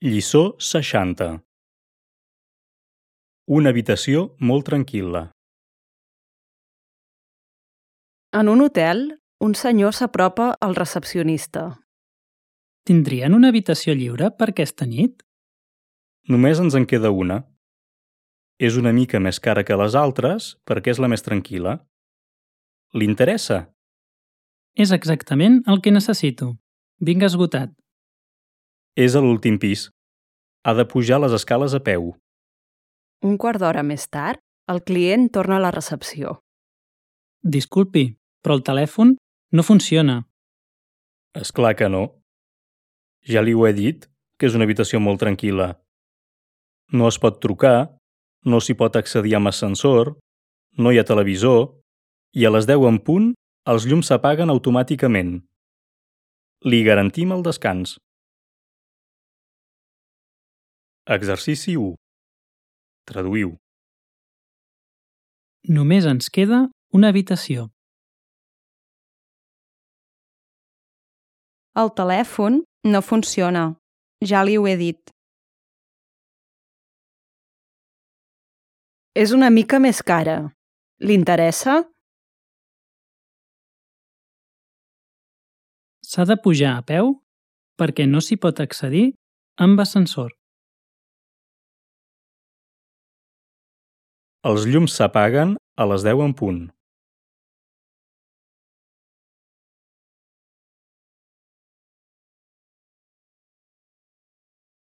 Lliçó 60. Una habitació molt tranquil·la. En un hotel, un senyor s'apropa al recepcionista. Tindrien una habitació lliure per aquesta nit? Només ens en queda una. És una mica més cara que les altres perquè és la més tranquil·la. Li interessa? És exactament el que necessito. Vinc esgotat. És a l'últim pis. Ha de pujar les escales a peu. Un quart d'hora més tard, el client torna a la recepció. Disculpi, però el telèfon no funciona. És clar que no. Ja li ho he dit, que és una habitació molt tranquil·la. No es pot trucar, no s'hi pot accedir amb ascensor, no hi ha televisor i a les 10 en punt els llums s'apaguen automàticament. Li garantim el descans. Exercici 1. Traduïu. Només ens queda una habitació. El telèfon no funciona. Ja li ho he dit. És una mica més cara. Li interessa? S'ha de pujar a peu perquè no s'hi pot accedir amb ascensor. Els llums s'apaguen a les 10 en punt.